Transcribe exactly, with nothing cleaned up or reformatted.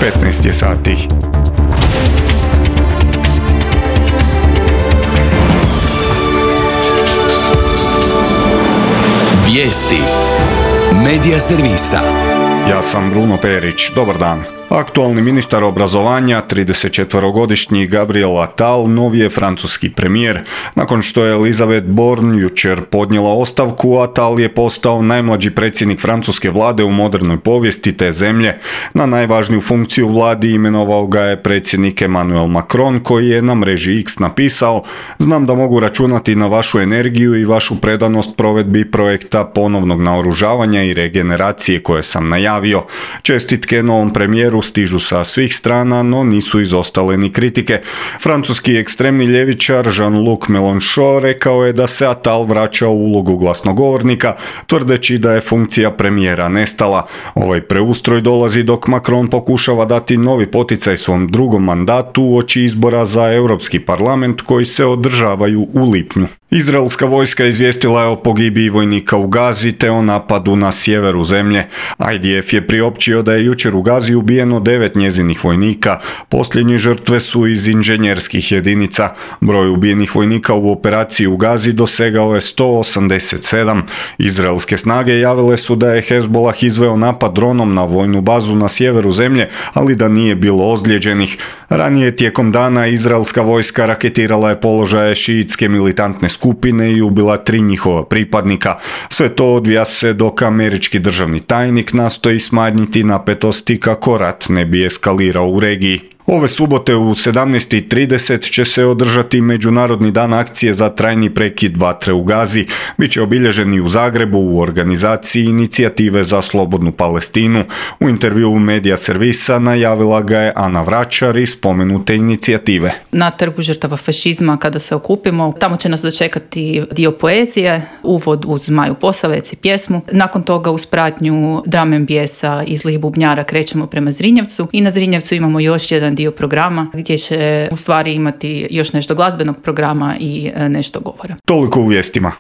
petnaest je sati. Vijesti Medija servisa. Ja sam Bruno Perić. Dobar dan. Aktualni ministar obrazovanja, tridesetčetverogodišnji Gabriel Attal, novi je francuski premijer. Nakon što je Elisabeth Borne jučer podnijela ostavku, Attal je postao najmlađi predsjednik francuske vlade u modernoj povijesti te zemlje. Na najvažniju funkciju vladi imenovao ga je predsjednik Emmanuel Macron, koji je na mreži X napisao: "Znam da mogu računati na vašu energiju i vašu predanost provedbi projekta ponovnog naoružavanja i regeneracije koje sam najavio. Čestitke novom premijeru stižu sa svih strana, no nisu izostale ni kritike." Francuski ekstremni ljevičar Jean-Luc Mélenchon rekao je da se Attal vraća u ulogu glasnogovornika, tvrdeći da je funkcija premijera nestala. Ovaj preustroj dolazi dok Macron pokušava dati novi poticaj svom drugom mandatu uoči izbora za Europski parlament koji se održavaju u lipnju. Izraelska vojska izvijestila je o pogibiji vojnika u Gazi te o napadu na sjeveru zemlje. I D F je priopćio da je jučer u Gazi ubijeno devet njezinih vojnika. Posljednje žrtve su iz inženjerskih jedinica. Broj ubijenih vojnika u operaciji u Gazi dosegao je sto osamdeset sedam. Izraelske snage javile su da je Hezbollah izveo napad dronom na vojnu bazu na sjeveru zemlje, ali da nije bilo ozlijeđenih. Ranije tijekom dana izraelska vojska raketirala je položaje šiitske militantne skupine i ubila tri njihova pripadnika. Sve to odvija se dok američki državni tajnik nastoji smanjiti napetosti kako rat ne bi eskalirao u regiji. Ove subote u sedamnaest i trideset će se održati Međunarodni dan akcije za trajni prekid vatre u Gazi. Biće obilježeni u Zagrebu u organizaciji Inicijative za slobodnu Palestinu. U intervjuu Medija servisa najavila ga je Ana Vračar iz spomenute inicijative. Na trgu žrtava fašizma kada se okupimo, tamo će nas dočekati dio poezije, uvod uz Maju Posavec i pjesmu. Nakon toga uz pratnju drum and bassa i zlih bubnjara krećemo prema Zrinjevcu i na Zrinjevcu imamo još jedan dio programa gdje će u stvari imati još nešto glazbenog programa i nešto govora. Toliko u vijestima.